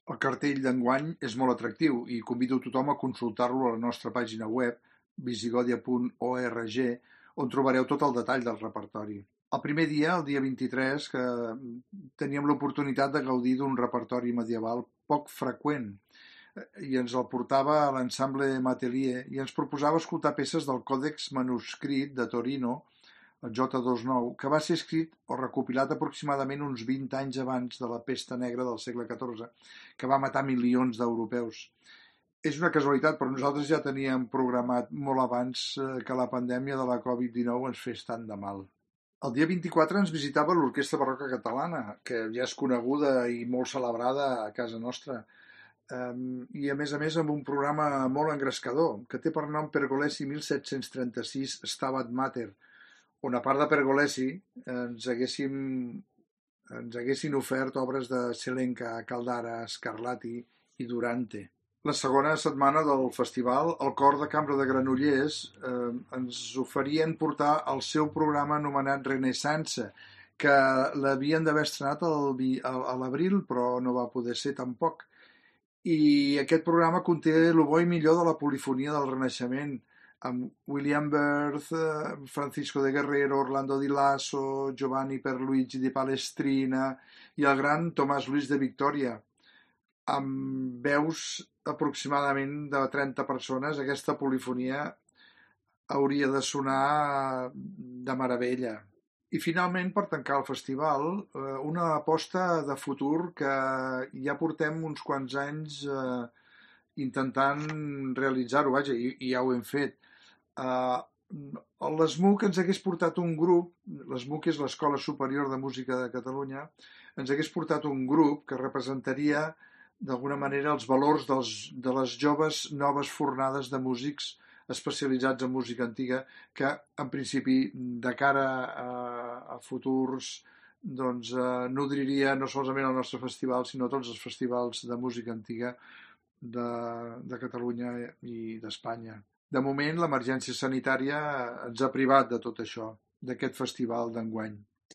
El cartell d'enguany és molt atractiu i convido tothom a consultar-lo a la nostra pàgina web visigodia.org, on trobareu tot el detall del repertori. El primer dia, el dia 23, que teníem l'oportunitat de gaudir d'un repertori medieval poc freqüent i ens el portava a l'ensemble Matelier i ens proposava escoltar peces del Còdex Manuscrit de Torino, el J29, que va ser escrit o recopilat aproximadament uns 20 anys abans de la pesta negra del segle XIV, que va matar milions d'europeus. És una casualitat, però nosaltres ja teníem programat molt abans que la pandèmia de la Covid-19 ens fes tant de mal. El dia 24 ens visitava l'Orquestra Barroca Catalana, que ja és coneguda i molt celebrada a casa nostra, i a més amb un programa molt engrescador, que té per nom Pergolesi 1736 Stabat Mater, on a part de Pergolesi ens haguessin ofert obres de Celenca, Caldara, Scarlatti i Durante. La segona setmana del festival, el Cor de Cambra de Granollers ens oferien portar el seu programa anomenat Renaissance, que l'havien d'haver estrenat a l'abril, però no va poder ser tampoc. I aquest programa conté el bo i millor de la polifonia del Renaixement, amb William Worth, Francisco de Guerrero, Orlando Di Lasso, Giovanni Pierluigi di Palestrina i el gran Tomàs Luis de Victoria. Amb veus aproximadament de 30 persones, aquesta polifonia hauria de sonar de meravella. I finalment, per tancar el festival, una aposta de futur que ja portem uns quants anys intentant realitzar-ho, vaja, i ja ho hem fet. L'ESMUC ens hagués portat un grup, l'ESMUC és l'Escola Superior de Música de Catalunya, ens hagués portat un grup que representaria d'alguna manera els valors de les joves noves fornades de músics especialitzats en música antiga que en principi de cara a futurs doncs nodriria no solament el nostre festival sinó tots els festivals de música antiga de Catalunya i d'Espanya. De moment l'emergència sanitària ens ha privat de tot això, d'aquest festival d'enguany.